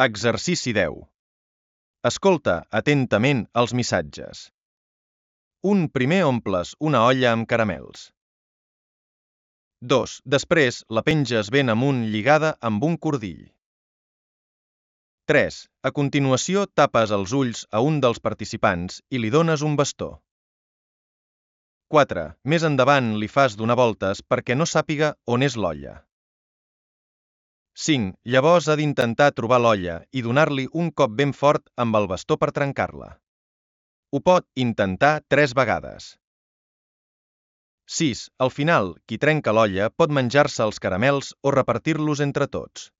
Exercici 10. Escolta atentament els missatges. 1. Primer omples una olla amb caramels. 2. Després la penges ben amunt lligada amb un cordill. 3. A continuació tapes els ulls a un dels participants i li dones un bastó. 4. Més endavant li fas donar voltes perquè no sàpiga on és l'olla. 5. Llavors ha d'intentar trobar l'olla i donar-li un cop ben fort amb el bastó per trencar-la. Ho pot intentar 3 vegades. 6. Al final, qui trenca l'olla pot menjar-se els caramels o repartir-los entre tots.